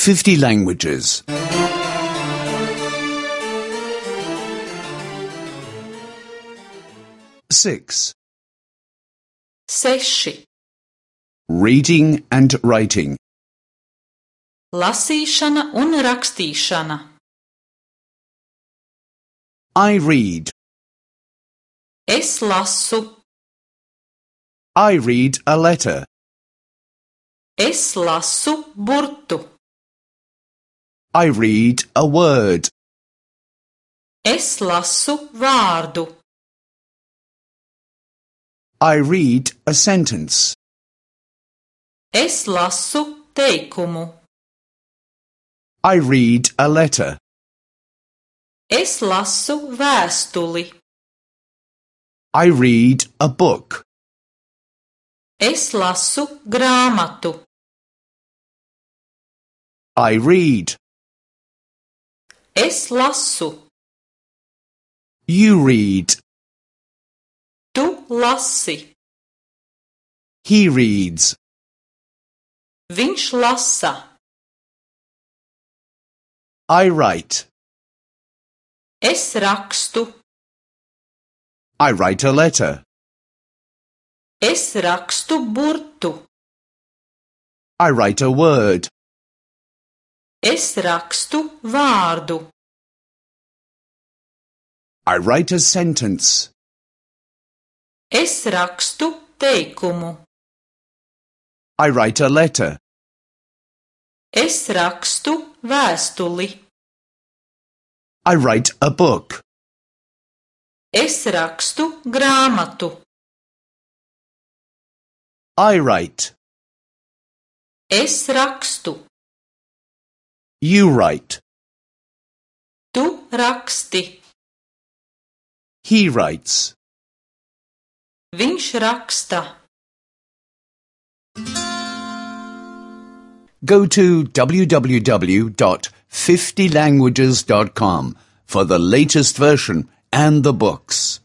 50 languages. 6. 6. Reading and writing. Lasīšana un rakstīšana. I read. Es lasu. I read a letter. Es lasu burtu. I read a word. Es lasu vārdu. I read a sentence. Es lasu teikumu. I read a letter. Es lasu vēstuli. I read a book. Es lasu grāmatu. I read. Es lasu. You read. Tu lasi. He reads. Viņš lasa. I write. Es rakstu. I write a letter. Es rakstu burtu. I write a word. Es rakstu vārdu. I write a sentence. Es rakstu teikumu. I write a letter. Es rakstu vēstuli. I write a book. Es rakstu grāmatu. I write. Es rakstu. You write. Tu raksti. He writes. Viņš raksta. Go to www.50languages.com for the latest version and the books.